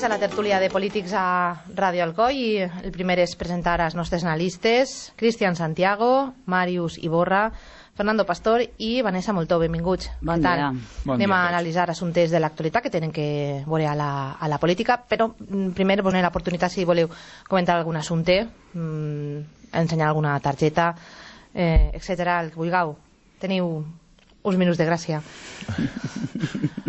a la tertúlia de polítics a Ràdio Alcoi i el primer és presentar els nostres analistes, Cristian Santiago, Màrius Iborra, Fernando Pastor i Vanessa Moltó. Benvinguts. Bon dia. Anem a analitzar assumptes de l'actualitat que tenen que veure a la política, però primer vos donem l'oportunitat si voleu comentar algun assumpte, ensenyar alguna targeta, etc. El que vulgueu. Teniu uns minuts de gràcia.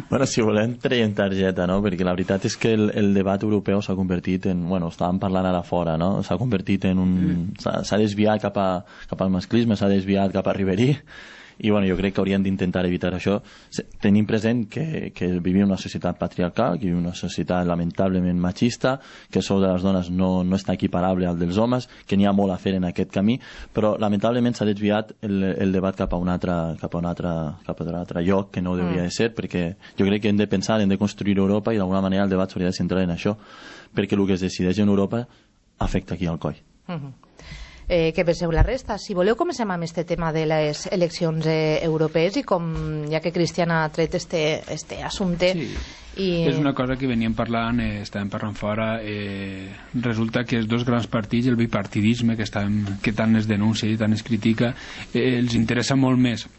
Bueno, si volem traiem targeta, no? Perquè la veritat és que el debat europeu s'ha convertit en... Bueno, estàvem parlant ara fora, no? S'ha convertit en un... S'ha desviat cap al masclisme, s'ha desviat cap a Riberí, i bueno, jo crec que hauríem d'intentar evitar això. Tenim present que vivim en una societat patriarcal, que vivim en una societat lamentablement machista, que el sou de les dones no està equiparable al dels homes, que n'hi ha molt a fer en aquest camí, però lamentablement s'ha desviat el debat cap a un altre lloc que no hauria de ser, perquè jo crec que hem de pensar, hem de construir Europa i d'alguna manera el debat s'hauria de centrar en això, perquè el que es decideix en Europa afecta aquí al coll. Què penseu la resta? Si voleu, comencem amb aquest tema de les eleccions europees i com, ja que Cristian ha tret este assumpte... Sí. És una cosa que veníem parlant, estàvem parlant fora, resulta que els dos grans partits, el bipartidisme que tant es denuncia i tant es critica, els interessa molt més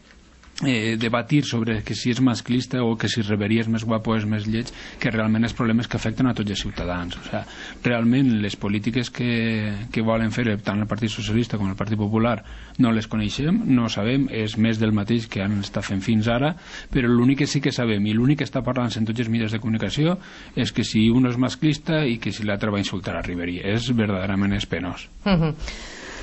debatir sobre que si és masclista o que si Riberí és més guapo o és més lleig, que realment els problemes que afecten a tots els ciutadans. O sigui, realment les polítiques que volen fer tant el Partit Socialista com el Partit Popular no les coneixem, no sabem, és més del mateix que han estat fent fins ara, però l'únic que sí que sabem i l'únic que està parlant en tots els mitjans de comunicació és que si un és masclista i que si l'altre va insultar a Riberí. És verdaderament penós.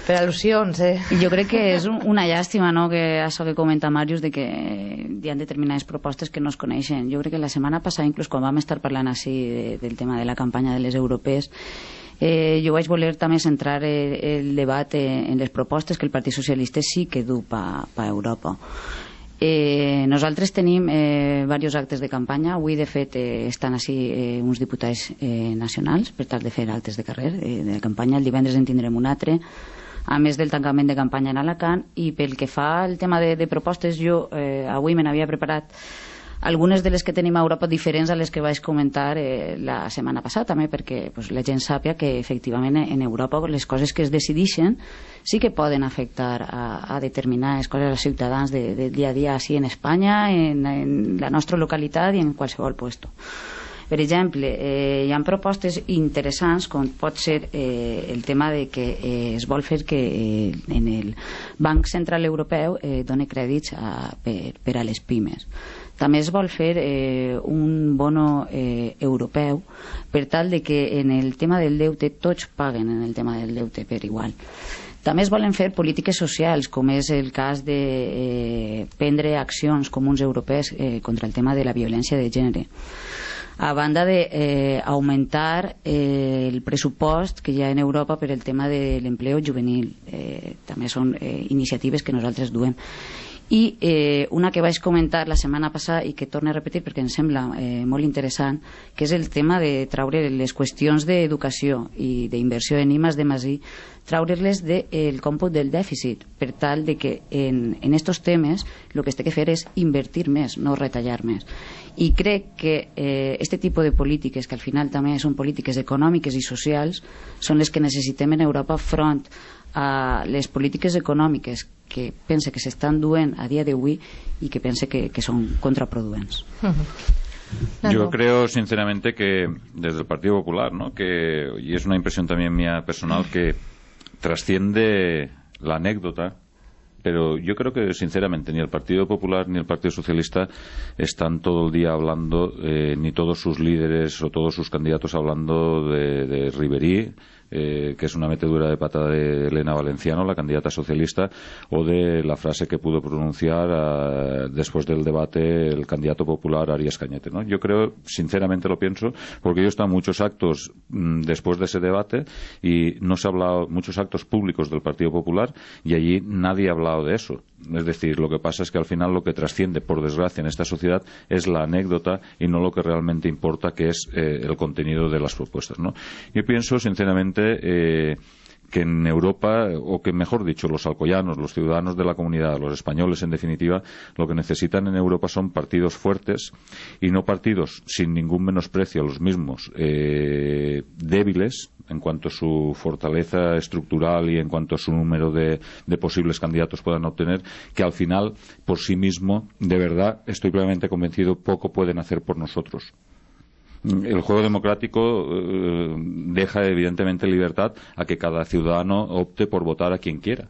Per al·lusions, Jo crec que és una llàstima, no?, que això que comenta Màrius, de que hi ha determinades propostes que no es coneixen. Jo crec que la setmana passada, inclús quan vam estar parlant així del tema de la campanya de les europees, jo vaig voler també centrar el debat en les propostes que el Partit Socialista sí que du per Europa. Nosaltres tenim diversos actes de campanya. Avui, de fet, estan així uns diputats nacionals per tal de fer actes de carrer de campanya. El divendres en tindrem un altre, a més del tancament de campanya en Alacant. I pel que fa al tema de propostes, jo avui me n'havia preparat algunes de les que tenim a Europa diferents a les que vaig comentar la setmana passada, també perquè la gent sàpia que efectivament en Europa les coses que es decideixen sí que poden afectar a determinades coses als ciutadans del dia a dia, així en Espanya, en la nostra localitat i en qualsevol lloc. Per exemple, hi ha propostes interessants com pot ser el tema de que es vol fer que en el Banc Central Europeu doni crèdits per a les pimes. També es vol fer un bono europeu per tal de que en el tema del deute tots paguen en el tema del deute per igual. També es volen fer polítiques socials, com és el cas de prendre accions comuns europees contra el tema de la violència de gènere, a banda d'augmentar el pressupost que hi ha en Europa per el tema de l'empleo juvenil. També són iniciatives que nosaltres duem. I una que vaig comentar la setmana passada i que torno a repetir perquè em sembla molt interessant, que és el tema de treure les qüestions d'educació i d'inversió en I+D+I, treure-les del còmput del dèficit, per tal de que en estos temes el que es té que fer és invertir més, no retallar més. I crec que este tipus de polítiques, que al final també són polítiques econòmiques i socials, són les que necessitem en Europa front a les polítiques econòmiques que pense que s'estan duent a dia d'avui y que pense que son contraproducents. Yo creo sinceramente que desde el Partido Popular, ¿no?, que, y es una impresión también mía personal, que trasciende la anécdota, pero yo creo que sinceramente ni el Partido Popular ni el Partido Socialista están todo el día hablando, ni todos sus líderes o todos sus candidatos hablando de Riberí, que es una metedura de pata de Elena Valenciano, la candidata socialista, o de la frase que pudo pronunciar después del debate el candidato popular Arias Cañete, ¿no? Yo creo, sinceramente lo pienso, porque yo he estado en muchos actos después de ese debate y no se ha hablado, muchos actos públicos del Partido Popular, y allí nadie ha hablado de eso. Es decir, lo que pasa es que al final lo que trasciende, por desgracia, en esta sociedad es la anécdota y no lo que realmente importa, que es el contenido de las propuestas, ¿no? Yo pienso, sinceramente, en Europa, o que mejor dicho, los alcoyanos, los ciudadanos de la comunidad, los españoles en definitiva, lo que necesitan en Europa son partidos fuertes y no partidos sin ningún menosprecio a los mismos débiles en cuanto a su fortaleza estructural y en cuanto a su número de posibles candidatos puedan obtener, que al final por sí mismo, de verdad, estoy plenamente convencido, poco pueden hacer por nosotros. El juego democrático deja evidentemente libertad a que cada ciudadano opte por votar a quien quiera.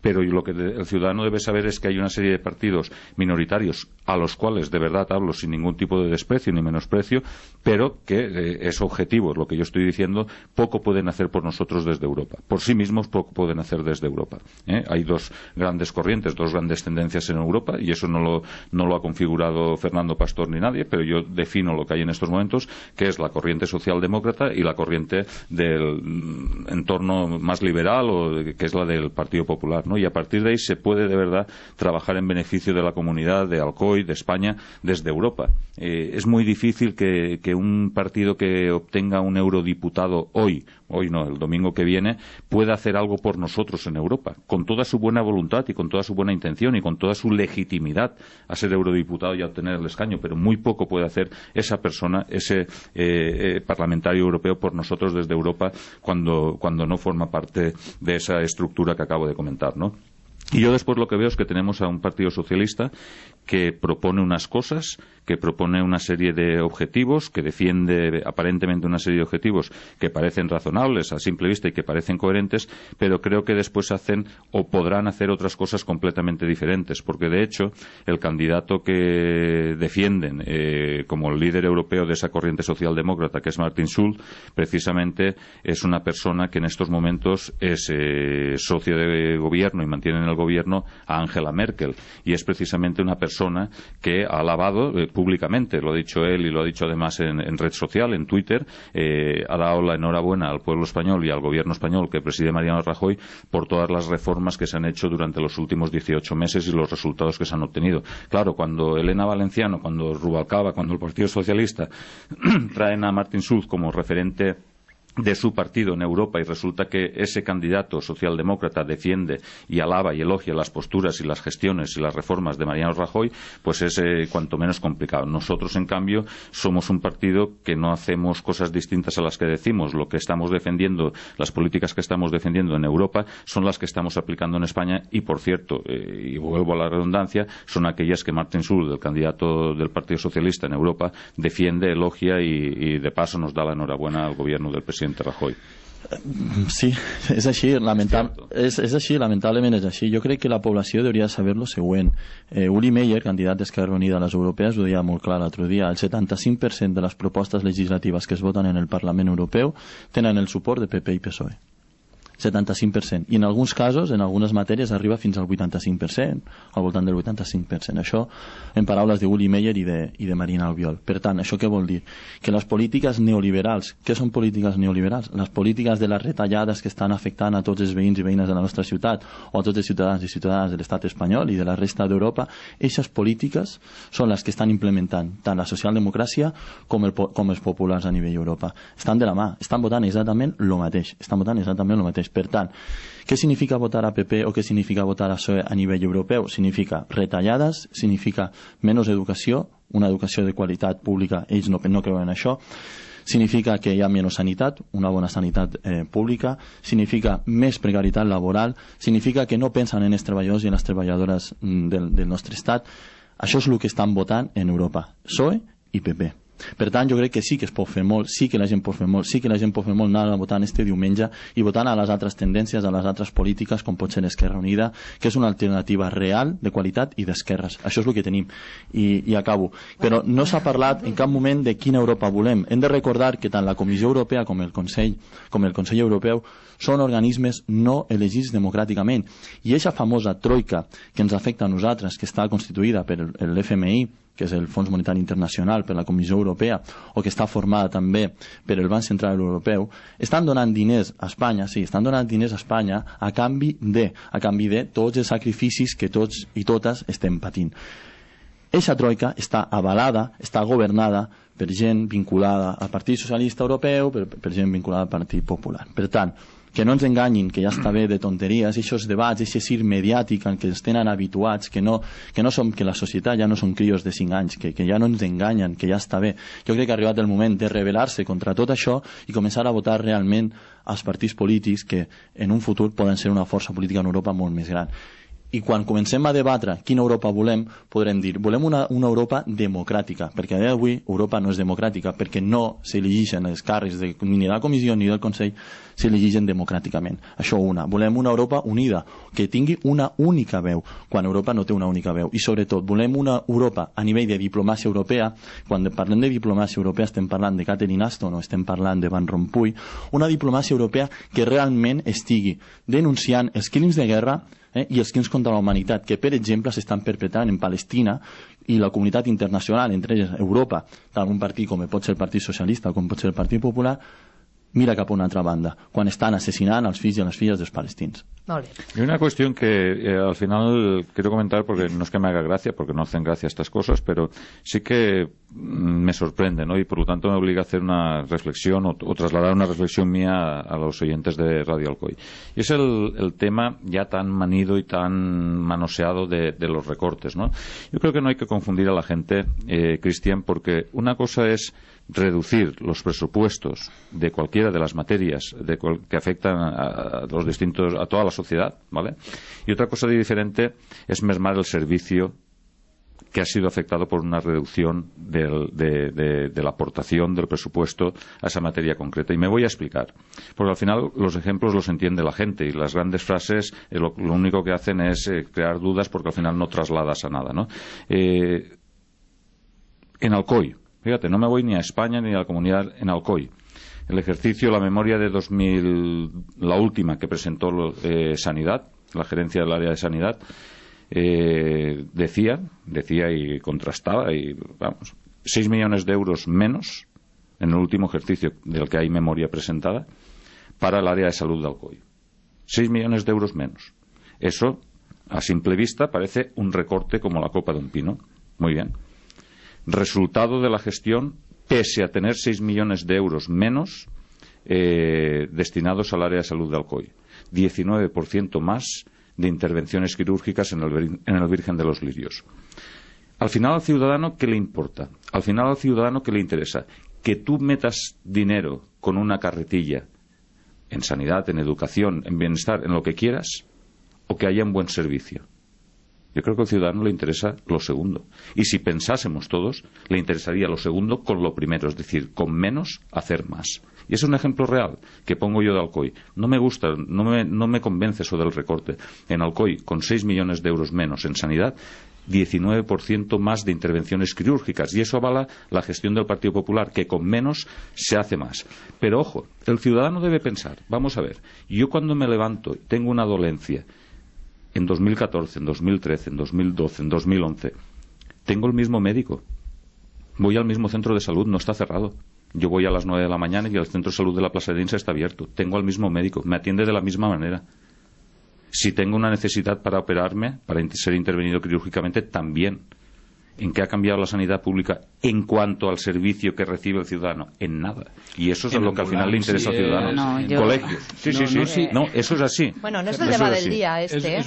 Pero lo que el ciudadano debe saber es que hay una serie de partidos minoritarios a los cuales, de verdad hablo sin ningún tipo de desprecio ni menosprecio, pero que es objetivo, es lo que yo estoy diciendo, poco pueden hacer por nosotros desde Europa. Por sí mismos poco pueden hacer desde Europa. Hay dos grandes corrientes, dos grandes tendencias en Europa, y eso no lo ha configurado Fernando Pastor ni nadie, pero yo defino lo que hay en estos momentos, que es la corriente socialdemócrata y la corriente del entorno más liberal, que es la del Partido Popular, ¿no? Y a partir de ahí se puede de verdad trabajar en beneficio de la comunidad de Alcoy, de España, desde Europa. Es muy difícil que un partido que obtenga un eurodiputado hoy no, el domingo que viene, pueda hacer algo por nosotros en Europa, con toda su buena voluntad y con toda su buena intención y con toda su legitimidad a ser eurodiputado y a obtener el escaño, pero muy poco puede hacer esa persona, ese parlamentario europeo por nosotros desde Europa cuando no forma parte de esa estructura que acabo de comentar, ¿no? Y yo después lo que veo es que tenemos a un partido socialista que propone unas cosas, que propone una serie de objetivos, que defiende aparentemente una serie de objetivos que parecen razonables a simple vista y que parecen coherentes, pero creo que después hacen o podrán hacer otras cosas completamente diferentes, porque de hecho el candidato que defienden como el líder europeo de esa corriente socialdemócrata, que es Martin Schulz, precisamente es una persona que en estos momentos es socio de gobierno y mantiene en el gobierno a Angela Merkel, y es precisamente una persona que ha alabado públicamente, lo ha dicho él y lo ha dicho además en red social, en Twitter, ha dado la enhorabuena al pueblo español y al gobierno español que preside Mariano Rajoy por todas las reformas que se han hecho durante los últimos 18 meses y los resultados que se han obtenido. Claro, cuando Elena Valenciano, cuando Rubalcaba, cuando el Partido Socialista traen a Martin Schulz como referente de su partido en Europa y resulta que ese candidato socialdemócrata defiende y alaba y elogia las posturas y las gestiones y las reformas de Mariano Rajoy, pues es cuanto menos complicado. Nosotros, en cambio, somos un partido que no hacemos cosas distintas a las que decimos. Lo que estamos defendiendo, las políticas que estamos defendiendo en Europa son las que estamos aplicando en España y, por cierto, y vuelvo a la redundancia, son aquellas que Martin Schulz, el candidato del Partido Socialista en Europa, defiende, elogia y de paso nos da la enhorabuena al gobierno del presidente Rajoy. Sí, és així, lamentablement és així. Jo crec que la població hauria de saber lo següent. Uli Meyer, candidat d'Esquerra Unida a les europees, ho deia molt clar l'altre dia. El 75% de les propostes legislatives que es voten en el Parlament Europeu tenen el suport de PP i PSOE. 75%. I en alguns casos, en algunes matèries, arriba fins al 85%, al voltant del 85%. Això en paraules d'Uli Meyer i de Marina Albiol. Per tant, això què vol dir? Que les polítiques neoliberals, què són polítiques neoliberals? Les polítiques de les retallades que estan afectant a tots els veïns i veïnes de la nostra ciutat o a tots els ciutadans i ciutadanes de l'estat espanyol i de la resta d'Europa, aquestes polítiques són les que estan implementant tant la socialdemocràcia com els populars a nivell d'Europa. Estan de la mà, estan votant exactament el mateix. Per tant, què significa votar a PP o què significa votar a PSOE a nivell europeu? Significa retallades, significa menys educació, una educació de qualitat pública, ells no creuen en això, significa que hi ha menys sanitat, una bona sanitat pública, significa més precarietat laboral, significa que no pensen en els treballadors i en les treballadores del nostre estat. Això és el que estan votant en Europa, PSOE i PP. Per tant, jo crec que sí que es pot fer molt, sí que la gent pot fer molt, anar a votar este diumenge i votant a les altres tendències, a les altres polítiques, com pot ser Esquerra Unida, que és una alternativa real, de qualitat i d'esquerres. Això és el que tenim. I acabo. Però no s'ha parlat en cap moment de quina Europa volem. Hem de recordar que tant la Comissió Europea com el Consell Europeu són organismes no elegits democràticament. I aquesta famosa troika que ens afecta a nosaltres, que està constituïda per l'FMI, que és el Fons Monetari Internacional, per la Comissió Europea, o que està formada també per el Banc Central Europeu, estan donant diners a Espanya, sí, estan donant diners a Espanya a canvi de tots els sacrificis que tots i totes estem patint. Eixa troika està avalada, està governada per gent vinculada al Partit Socialista Europeu, per gent vinculada al Partit Popular. Per tant, que no ens enganyin, que ja està bé de tonteries, aquests debats, aquest circ mediàtic en què ens tenen habituats, que la societat ja no són crios de 5 anys, que ja no ens enganyen, que ja està bé. Jo crec que ha arribat el moment de rebel·lar-se contra tot això i començar a votar realment als partits polítics que en un futur poden ser una força política en Europa molt més gran. I quan comencem a debatre quina Europa volem, podrem dir, volem una Europa democràtica, perquè a dia d'avui Europa no és democràtica, perquè no s'elegeixen els càrrecs ni de la Comissió ni del Consell, s'elegeixen democràticament. Això una. Volem una Europa unida, que tingui una única veu, quan Europa no té una única veu. I sobretot, volem una Europa a nivell de diplomàcia europea. Quan parlem de diplomàcia europea estem parlant de Catherine Ashton o estem parlant de Van Rompuy, una diplomàcia europea que realment estigui denunciant els crims de guerra i els crims contra la humanitat que, per exemple, s'estan perpetrant en Palestina, i la comunitat internacional, entre elles Europa, tant un partit com pot ser el Partit Socialista com pot ser el Partit Popular, mira cap a una altra banda, quan estan assassinant els fills i les filles dels palestins. Molt bé. Hay una cuestión que al final quiero comentar, porque no es que me haga gracia, porque no hacen gracia estas cosas, pero sí que me sorprende, ¿no? Y por lo tanto me obliga a hacer una reflexión o trasladar una reflexión mía a los oyentes de Radio Alcoy. Y es el tema ya tan manido y tan manoseado de los recortes, ¿no? Yo creo que no hay que confundir a la gente, Cristian, porque una cosa es reducir los presupuestos de cualquiera de las materias que afectan a los distintos, a toda la sociedad, ¿vale? Y otra cosa diferente es mermar el servicio que ha sido afectado por una reducción de la aportación del presupuesto a esa materia concreta. Y me voy a explicar, porque al final los ejemplos los entiende la gente y las grandes frases lo único que hacen es crear dudas, porque al final no trasladas a nada, ¿no? En Alcoy, fíjate, no me voy ni a España ni a la comunidad, en Alcoy. El ejercicio, la memoria de 2000, la última que presentó Sanidad, la gerencia del área de Sanidad, decía y contrastaba, y vamos, 6 millones de euros menos en el último ejercicio del que hay memoria presentada para el área de salud de Alcoy. 6 millones de euros menos. Eso, a simple vista, parece un recorte como la copa de un pino. Muy bien. Resultado de la gestión, pese a tener 6 millones de euros menos destinados al área de salud de Alcoy. 19% más de intervenciones quirúrgicas en el Virgen de los Lirios. Al final al ciudadano, ¿qué le importa? Al final al ciudadano, ¿qué le interesa? Que tú metas dinero con una carretilla en sanidad, en educación, en bienestar, en lo que quieras, o que haya un buen servicio. Yo creo que al ciudadano le interesa lo segundo. Y si pensásemos todos, le interesaría lo segundo con lo primero, es decir, con menos hacer más. Y es un ejemplo real que pongo yo de Alcoy. No me gusta, no me convence eso del recorte. En Alcoy, con 6 millones de euros menos en sanidad, 19% más de intervenciones quirúrgicas. Y eso avala la gestión del Partido Popular, que con menos se hace más. Pero ojo, el ciudadano debe pensar, vamos a ver, yo cuando me levanto y tengo una dolencia, en 2014, en 2013, en 2012, en 2011, tengo el mismo médico. Voy al mismo centro de salud, no está cerrado. Yo voy a las 9 de la mañana y el centro de salud de la Plaza de Dinsa está abierto. Tengo al mismo médico, me atiende de la misma manera. Si tengo una necesidad para operarme, para ser intervenido quirúrgicamente, también. ¿En qué ha cambiado la sanidad pública en cuanto al servicio que recibe el ciudadano? En nada. Y eso es lo que al final le interesa al ciudadano. Colegios. Sí. No, eso es así. Bueno, no es el tema del día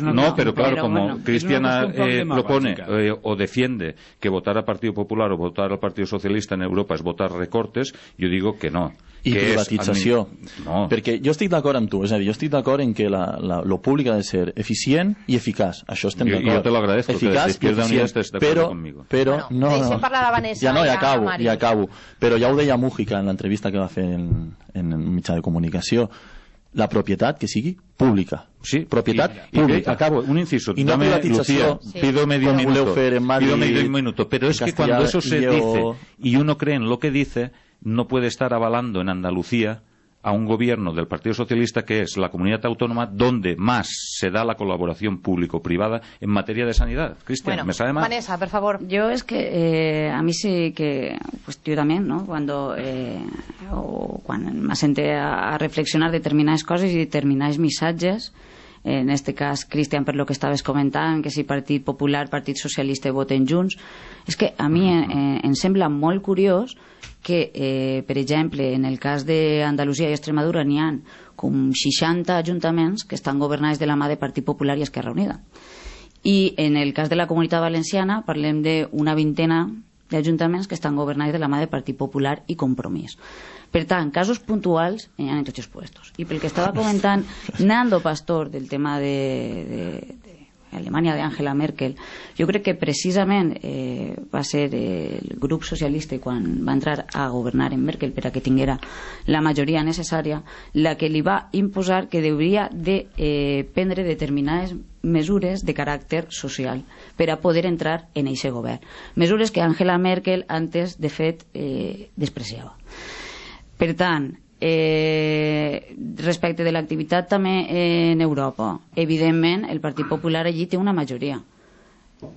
No, pero claro, como Cristiana propone o defiende que votar al Partido Popular o votar al Partido Socialista en Europa es votar recortes, yo digo que no. I privatització. No. Perquè jo estic d'acord amb tu, és a dir, jo estic d'acord en que lo públic ha de ser eficient i eficaç. Això estem d'acord. Yo te lo agradezco, eficaç que desde Izquierda Unida estés de acuerdo conmigo. Però, no. Parlar la Vanessa, ja acabo. Però ja ho deia Mújica en l'entrevista que va fer en un mitjà de comunicació. La propietat que sigui pública. Sí, propietat pública. Acabo, un inciso. Y no privatización. Pido medio minuto. Pero es que cuando eso se dice y uno cree en lo que dice, no puede estar avalando en Andalucía a un gobierno del Partido Socialista, que es la comunidad autónoma donde más se da la colaboración público-privada en materia de sanidad. Cristian, bueno, ¿me sabe mal? Vanessa, por favor. Yo es que a mí sí que, pues yo también, ¿no? Cuando me senté a reflexionar determinades coses i determinats missatges, en este cas, Cristian, per lo que estaves comentant, que si Partit Popular, Partit Socialista voten junts, és que a mi em sembla molt curiós que, per exemple, en el cas d'Andalusia i Extremadura n'hi ha com 60 ajuntaments que estan governats de la mà de Partit Popular i Esquerra Unida. I en el cas de la Comunitat Valenciana parlem d'una vintena d'ajuntaments que estan governats de la mà de Partit Popular i Compromís. Per tant, casos puntuals hi ha en tots els puestos. I pel que estava comentant Nando Pastor del tema de Alemanya d'Angela Merkel, jo crec que precisament va ser el grup socialista quan va entrar a governar en Merkel per a que tinguera la majoria necessària la que li va imposar que hauria de prendre determinades mesures de caràcter social per a poder entrar en aquest govern. Mesures que Angela Merkel antes, de fet, despreciava. Per tant, respecte de l'activitat també en Europa, evidentment el Partit Popular allí té una majoria.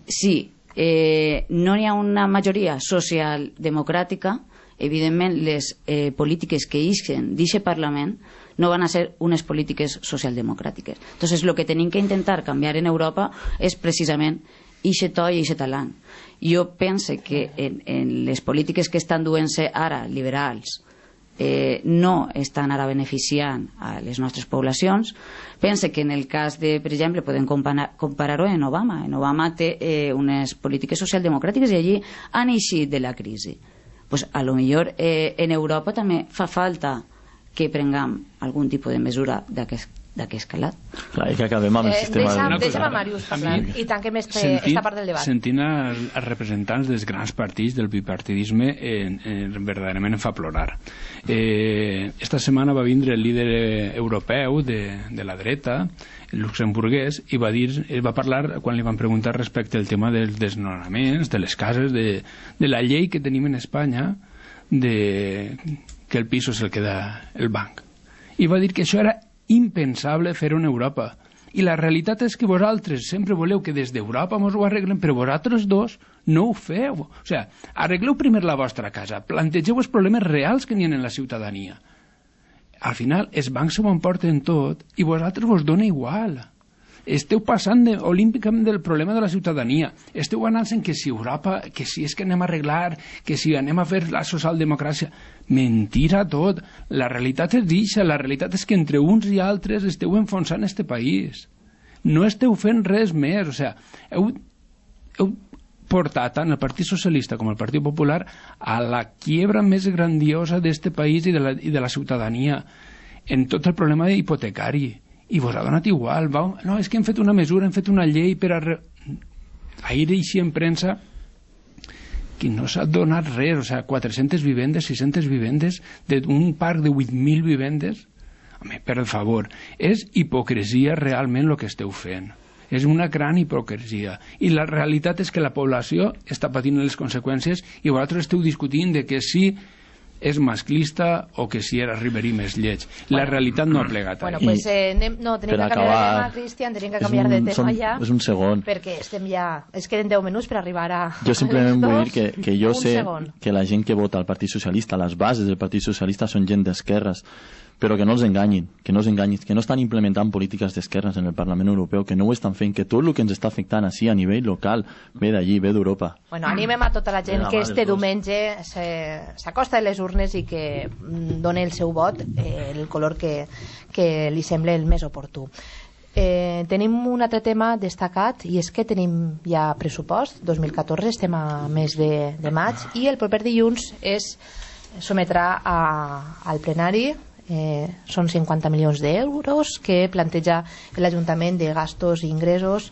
Si no hi ha una majoria socialdemocràtica, evidentment les polítiques que ixen d'aquest Parlament no van a ser unes polítiques socialdemocràtiques. Entonces, el que tenim que intentar canviar en Europa és precisament aquest to i aquest talant. Jo penso que en les polítiques que estan duent-se ara liberals no estan ara beneficiant a les nostres poblacions. Pense que en el cas de, per exemple, podem comparar-ho en Obama. En Obama té unes polítiques socialdemocràtiques i allí han eixit de la crisi. Pues a lo millor en Europa també fa falta que prenguem algun tipus de mesura d'aquest calat. Clar, i que acabem amb el sistema... Deixa'm a Màrius parlar i tanquem esta part del debat. Sentint els representants dels grans partits del bipartidisme verdaderament em fa plorar. Esta setmana va vindre el líder europeu de la dreta, el luxemburguès, i va parlar, quan li van preguntar respecte al tema dels desnonaments, de les cases, de la llei que tenim en Espanya, que el piso se'l queda el banc. I va dir que això era impensable fer-ho en Europa. I la realitat és que vosaltres sempre voleu que des d'Europa mos ho arreglem, però vosaltres dos no ho feu. O sigui, arregleu primer la vostra casa, plantegeu els problemes reals que n'hi ha en la ciutadania. Al final, els bancs s'ho emporten tot i vosaltres vos dona igual. Esteu passant olímpicament del problema de la ciutadania. Esteu anant en que si Europa, que si és que anem a arreglar, que si anem a fer la socialdemocràcia. Mentira tot. La realitat és dixa. La realitat és que entre uns i altres esteu enfonsant este país. No esteu fent res més. O sigui, heu portat tant el Partit Socialista com el Partit Popular a la quiebra més grandiosa d'este país i de la ciutadania en tot el problema hipotecari. I vos ha donat igual. No, és que hem fet una mesura, hem fet una llei per a... Ahir així en premsa que no s'ha donat res, o sigui, 400 vivendes, 600 vivendes, d'un parc de 8.000 vivendes. Home, per favor, és hipocresia realment el que esteu fent. És una gran hipocresia. I la realitat és que la població està patint les conseqüències i vosaltres esteu discutint de que sí és masclista o que si era Ribery més lleig. La realitat no ha plegat. Bueno, pues tenim que canviar de tema, Cristian, tenim que canviar de tema ja. És un segon. Perquè estem ja... Es queden 10 minuts per arribar a... Jo simplement vull dir que jo sé que la gent que vota al Partit Socialista, les bases del Partit Socialista són gent d'esquerres, però que no els enganyin, que no estan implementant polítiques d'esquerres en el Parlament Europeu, que no ho estan fent, que tot el que ens està afectant així a nivell local ve d'allí, ve d'Europa. Bueno, animem a tota la gent que este diumenge s'acosta a les urnes i que doni el seu vot el color que li sembla el més oportú. Tenim un altre tema destacat i és que tenim ja pressupost 2014, estem a mes de maig i el proper dilluns es sometrà al plenari. Són 50 milions d'euros que planteja l'Ajuntament de gastos i ingressos.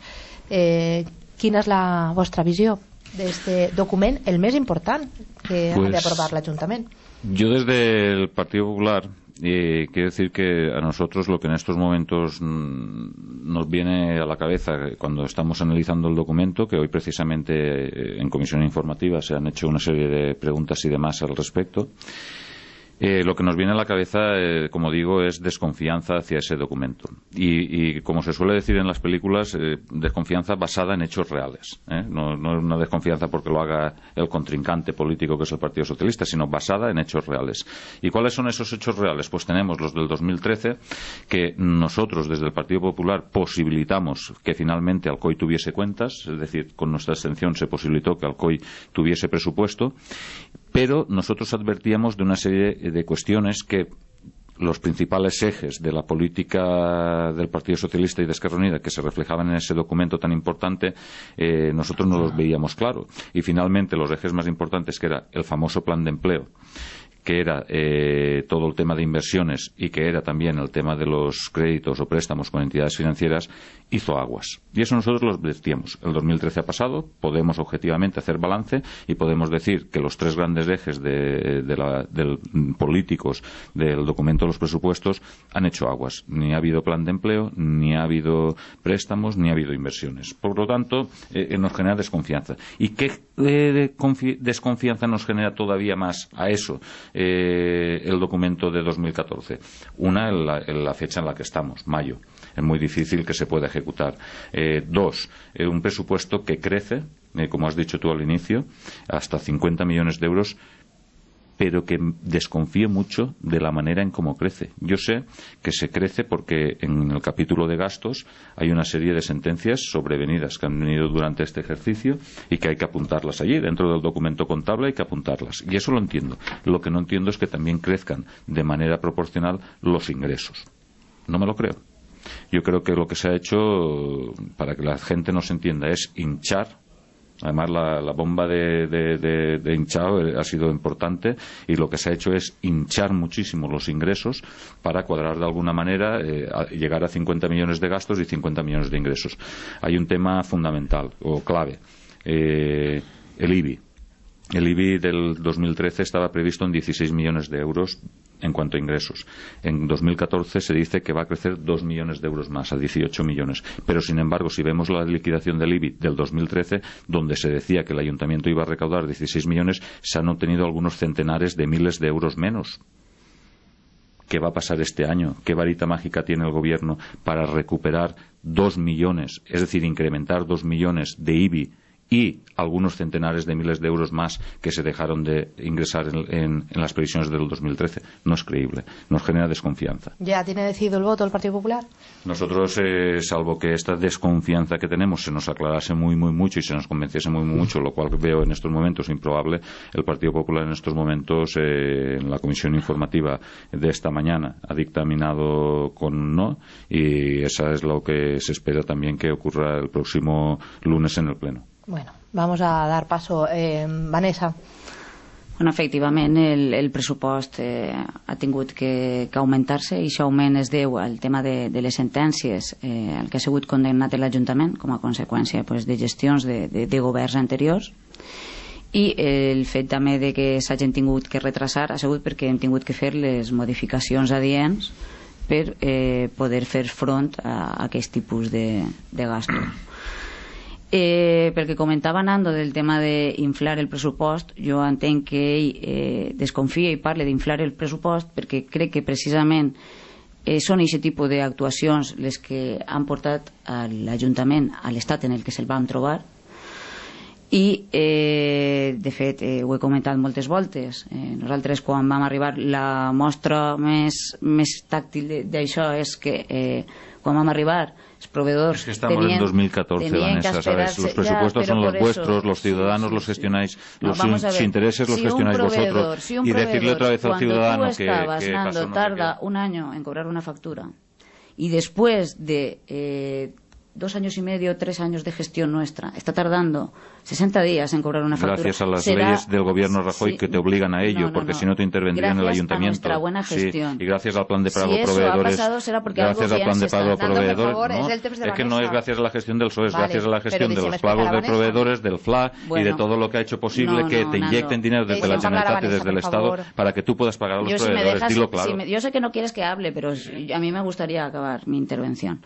Quina és la vostra visió d'este document, el més important que ha d'aprobar l'Ajuntament? Yo desde el Partido Popular quiero decir que a nosotros lo que en estos momentos nos viene a la cabeza cuando estamos analizando el documento, que hoy precisamente en comisión informativa se han hecho una serie de preguntas y demás al respecto, lo que nos viene a la cabeza, como digo, es desconfianza hacia ese documento. Y como se suele decir en las películas, desconfianza basada en hechos reales. No es una desconfianza porque lo haga el contrincante político que es el Partido Socialista, sino basada en hechos reales. ¿Y cuáles son esos hechos reales? Pues tenemos los del 2013, que nosotros desde el Partido Popular posibilitamos que finalmente Alcoy tuviese cuentas, es decir, con nuestra abstención se posibilitó que Alcoy tuviese presupuesto, pero nosotros advertíamos de una serie de cuestiones que los principales ejes de la política del Partido Socialista y de Esquerra Unida que se reflejaban en ese documento tan importante, nosotros no los veíamos claro. Y finalmente los ejes más importantes, que era el famoso plan de empleo, que era todo el tema de inversiones y que era también el tema de los créditos o préstamos con entidades financieras, hizo aguas. Y eso nosotros lo advertíamos. El 2013 ha pasado, podemos objetivamente hacer balance y podemos decir que los tres grandes ejes políticos del documento de los presupuestos han hecho aguas. Ni ha habido plan de empleo, ni ha habido préstamos, ni ha habido inversiones. Por lo tanto, nos genera desconfianza. ¿Y qué desconfianza nos genera todavía más a eso? El documento de 2014. Una, en la fecha en la que estamos, mayo. Es muy difícil que se pueda ejecutar. Dos, un presupuesto que crece, como has dicho tú al inicio, hasta 50 millones de euros, pero que desconfío mucho de la manera en cómo crece. Yo sé que se crece porque en el capítulo de gastos hay una serie de sentencias sobrevenidas que han venido durante este ejercicio y que hay que apuntarlas allí. Dentro del documento contable hay que apuntarlas. Y eso lo entiendo. Lo que no entiendo es que también crezcan de manera proporcional los ingresos. No me lo creo. Yo creo que lo que se ha hecho, para que la gente nos entienda, es hinchar. Además, la bomba de hinchado ha sido importante y lo que se ha hecho es hinchar muchísimo los ingresos para cuadrar de alguna manera, llegar a 50 millones de gastos y 50 millones de ingresos. Hay un tema fundamental o clave, el IBI. El IBI del 2013 estaba previsto en 16 millones de euros en cuanto a ingresos. En 2014 se dice que va a crecer 2 millones de euros más, a 18 millones. Pero, sin embargo, si vemos la liquidación del IBI del 2013, donde se decía que el ayuntamiento iba a recaudar 16 millones, se han obtenido algunos centenares de miles de euros menos. ¿Qué va a pasar este año? ¿Qué varita mágica tiene el gobierno para recuperar 2 millones, es decir, incrementar 2 millones de IBI y algunos centenares de miles de euros más que se dejaron de ingresar en las previsiones del 2013? No es creíble, nos genera desconfianza. ¿Ya tiene decidido el voto el Partido Popular? Nosotros, salvo que esta desconfianza que tenemos se nos aclarase muy mucho y se nos convenciese muy mucho, lo cual veo en estos momentos improbable, el Partido Popular en estos momentos, en la comisión informativa de esta mañana, ha dictaminado con no, y esa es lo que se espera también que ocurra el próximo lunes en el Pleno. Bueno, vamos a dar paso. Vanessa. Bueno, efectivament, el pressupost ha tingut que augmentar-se i aquest augment es deu al tema de les sentències al que ha sigut condemnat l'Ajuntament com a conseqüència de gestions de governs anteriors, i el fet també de que s'hagin tingut que retrasar ha sigut perquè hem tingut que fer les modificacions adients per poder fer front a aquest tipus de gastos. Pel que comentava Nando del tema d'inflar el pressupost, jo entenc que ell desconfia i parla d'inflar el pressupost perquè crec que precisament són aquest tipus d'actuacions les que han portat l'Ajuntament a l'estat en el que se'l vam trobar i de fet ho he comentat moltes voltes. Nosaltres quan vam arribar, la mostra més tàctil d'això és que quan vam arribar los proveedores. Es que estamos en 2014, Vanessa, ¿sabes? Los presupuestos son los vuestros, los ciudadanos los gestionáis, los intereses los gestionáis vosotros. Y decirle otra vez al ciudadano que Nando tarda un año en cobrar una factura y después de 2 años y medio, 3 años de gestión nuestra, está tardando 60 días en cobrar una factura. Gracias a las leyes del gobierno Rajoy que te obligan a ello, porque si no te intervendría en el ayuntamiento. Gracias a nuestra buena gestión. Y gracias al plan de pago proveedores. Si eso ha pasado será porque gracias al plan de pago proveedores. Es que no es gracias a la gestión del PSOE, es gracias a la gestión de los pagos de proveedores, del FLA y de todo lo que ha hecho posible que te inyecten dinero desde la Generalitat y desde el Estado para que tú puedas pagar a los proveedores. Dilo claro. Yo sé que no quieres que hable, pero a mí me gustaría acabar mi intervención.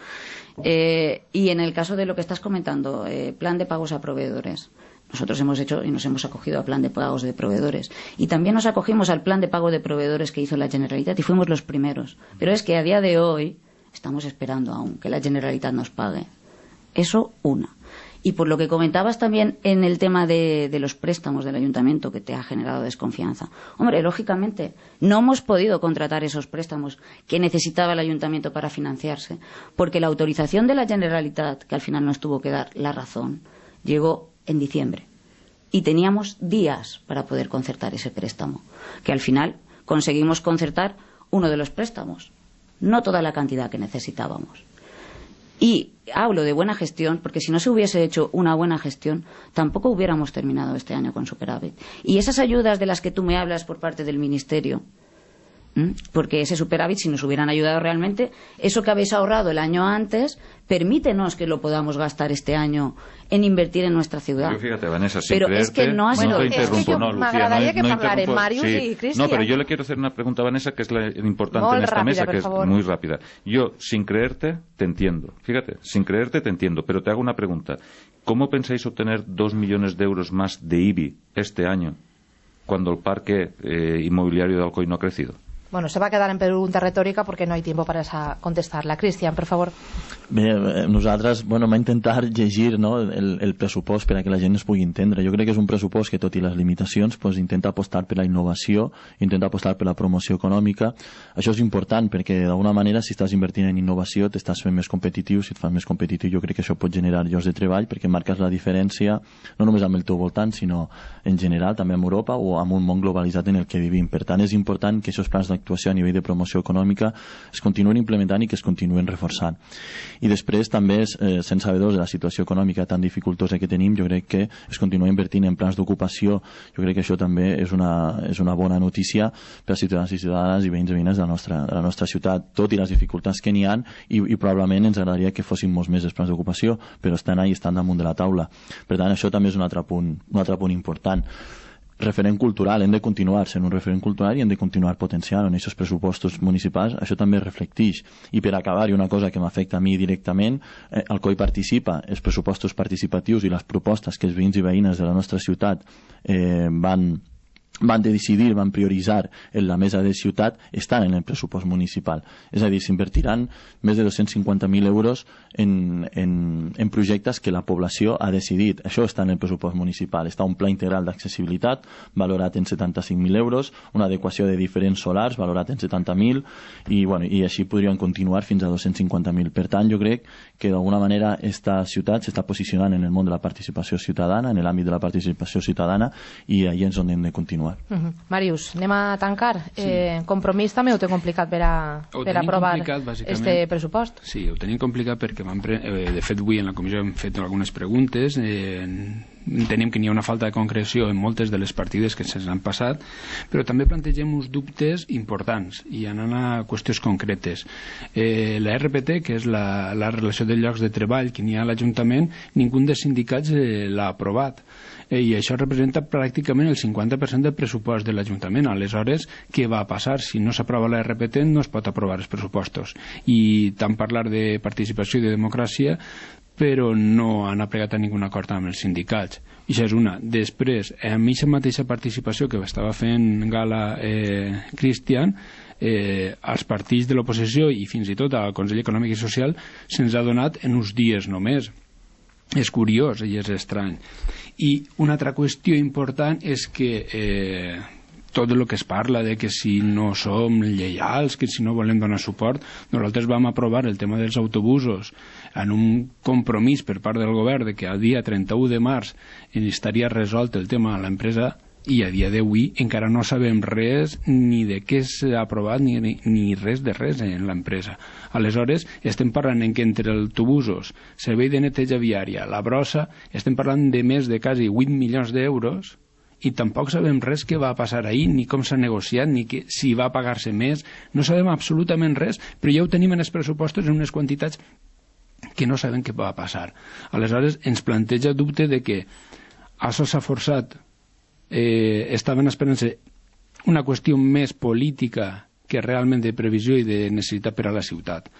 Y en el caso de lo que estás comentando, plan de pagos a proveedores, nosotros hemos hecho y nos hemos acogido al plan de pagos de proveedores y también nos acogimos al plan de pago de proveedores que hizo la Generalitat y fuimos los primeros, pero es que a día de hoy estamos esperando aún que la Generalitat nos pague. Eso una. Y por lo que comentabas también en el tema de los préstamos del ayuntamiento que te ha generado desconfianza. Hombre, lógicamente, no hemos podido contratar esos préstamos que necesitaba el ayuntamiento para financiarse, porque la autorización de la Generalitat, que al final nos tuvo que dar la razón, llegó en diciembre. Y teníamos días para poder concertar ese préstamo, que al final conseguimos concertar uno de los préstamos, no toda la cantidad que necesitábamos. Y hablo de buena gestión porque si no se hubiese hecho una buena gestión tampoco hubiéramos terminado este año con superávit. Y esas ayudas de las que tú me hablas por parte del Ministerio, porque ese superávit, si nos hubieran ayudado realmente, eso que habéis ahorrado el año antes, permítenos que lo podamos gastar este año en invertir en nuestra ciudad. Pero fíjate, Vanessa, sin pero creerte, es que no ha sido... no te interrumpo, no, Lucía, m'agradaria que interrumpo. parlaren Màrius i Cristian. No, pero yo le quiero hacer una pregunta a Vanessa, que es la importante Molt en esta rápida, mesa, por que favor. es muy rápida. Yo, sin creerte, te entiendo. Fíjate, sin creerte te entiendo, pero te hago una pregunta. ¿Cómo pensáis obtener 2 millones de euros más de IBI este año, cuando el parque inmobiliario de Alcoi no ha crecido? Bueno, se va a quedar en pregunta retòrica perquè no hay tiempo para contestar-la. Cristian, per favor. Bé, nosaltres, vam intentar llegir, no, el pressupost per a que la gent es pugui entendre. Jo crec que és un pressupost que, tot i les limitacions, intenta apostar per la innovació, intenta apostar per la promoció econòmica. Això és important perquè, d'alguna manera, si estàs invertint en innovació, t'estàs fent més competitiu. Si et fas més competitiu, jo crec que això pot generar llocs de treball perquè marques la diferència, no només amb el teu voltant, sinó en general, també amb Europa o amb un món globalitzat en el que vivim. Per tant, és important que aquests plans d'actuació a nivell de promoció econòmica es continuen implementant i que es continuen reforçant. I després també, sent sabedors de la situació econòmica tan dificultosa que tenim, jo crec que es continua invertint en plans d'ocupació. Jo crec que això també és una bona notícia per als ciutadans i ciutadanes i veïns i veïnes de la nostra ciutat, tot i les dificultats que n'hi ha, i probablement ens agradaria que fossin molts més els plans d'ocupació, però estan ahí, estan damunt de la taula. Per tant, això també és un altre punt important. Referent cultural, hem de continuar sent un referent cultural i hem de continuar potenciant en aquests pressupostos municipals, això també reflecteix. I per acabar, i una cosa que m'afecta a mi directament, Alcoi participa, els pressupostos participatius i les propostes que els veïns i veïnes de la nostra ciutat van decidir, van prioritzar en la mesa de ciutat, estan en el pressupost municipal. És a dir, s'invertiran més de 250.000 euros en projectes que la població ha decidit. Això està en el pressupost municipal. Està un pla integral d'accessibilitat valorat en 75.000 euros, una adequació de diferents solars valorat en 70.000 i així podrien continuar fins a 250.000. Per tant, jo crec que d'alguna manera esta ciutat s'està posicionant en el món de la participació ciutadana, en l'àmbit de la participació ciutadana, i allà és on hem de continuar. Màrius, anem a tancar. Compromís també ho té complicat per aprovar este pressupost? Sí, ho tenim complicat perquè de fet avui en la comissió hem fet algunes preguntes, entenem que n'hi ha una falta de concreció en moltes de les partides que se'ns han passat, però també plantegem uns dubtes importants i anant a qüestions concretes. La RPT, que és la relació de llocs de treball que n'hi ha a l'Ajuntament, ningú dels sindicats l'ha aprovat. I això representa pràcticament el 50% del pressupost de l'Ajuntament. Aleshores, què va passar? Si no s'aprova la RPT no es pot aprovar els pressupostos. I tant parlar de participació i de democràcia, però no han apregat a ningun acord amb els sindicats. I això és una. Després, amb aquesta mateixa participació que estava fent gala Cristian, als partits de l'oposició i fins i tot al Consell Econòmic i Social se'ns ha donat en uns dies només. És curiós i és estrany. I una altra qüestió important és que tot el que es parla de que si no som lleials, que si no volem donar suport, nosaltres vam aprovar el tema dels autobusos en un compromís per part del govern de que el dia 31 de març estaria resolt el tema a l'empresa, i a dia d'avui encara no sabem res ni de què s'ha aprovat ni res de res en l'empresa. Aleshores, estem parlant que entre autobusos, servei de neteja viària, la brossa, estem parlant de més de quasi 8 milions d'euros i tampoc sabem res què va passar ahir, ni com s'ha negociat, ni si va pagar-se més. No sabem absolutament res, però ja ho tenim en els pressupostos en unes quantitats que no sabem què va passar. Aleshores, ens planteja dubte de que això s'ha forçat. Estaven esperant-se una qüestió més política que realment de previsió i de necessitat per a la ciutat.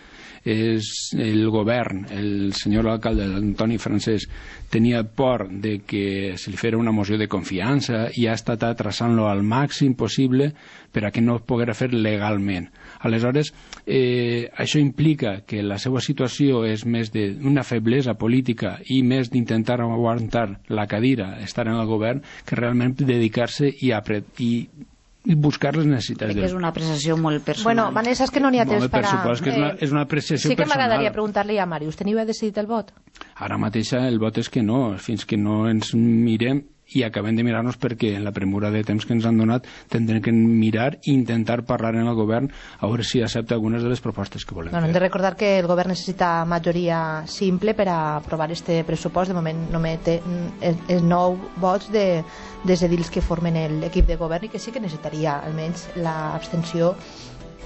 El govern, el senyor alcalde Antoni Francesc, tenia por de que se li fera una moció de confiança i ha estat atrasant-lo al màxim possible per a que no es poguera fer legalment. Aleshores, això implica que la seva situació és més d'una feblesa política i més d'intentar aguantar la cadira, estar en el govern, que realment dedicar-se i buscar les necessitats. Crec que és una apreciació molt personal. Bueno, Vanessa, és que no n'hi ha temps per a... És una apreciació personal. Sí que m'agradaria preguntar-li a Màrius, teniu decidit el vot? Ara mateix el vot és que no, fins que no ens mirem i acabem de mirar-nos perquè en la premura de temps que ens han donat tindrem que mirar i intentar parlar en el govern a veure si accepta algunes de les propostes que volem fer. Hem de recordar que el govern necessita majoria simple per a aprovar este pressupost. De moment només té els 9 vots des de dins que formen l'equip de govern, i que sí que necessitaria almenys l'abstenció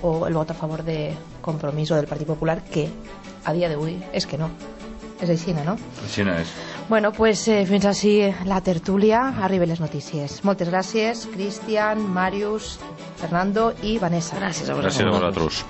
o el vot a favor de Compromís o del Partit Popular, que a dia d'avui és que no. És així, no? Així no és. Bueno, pues fins així la tertúlia. Arriben les notícies. Moltes gràcies, Cristian, Màrius, Fernando i Vanessa. Gràcies a vosaltres.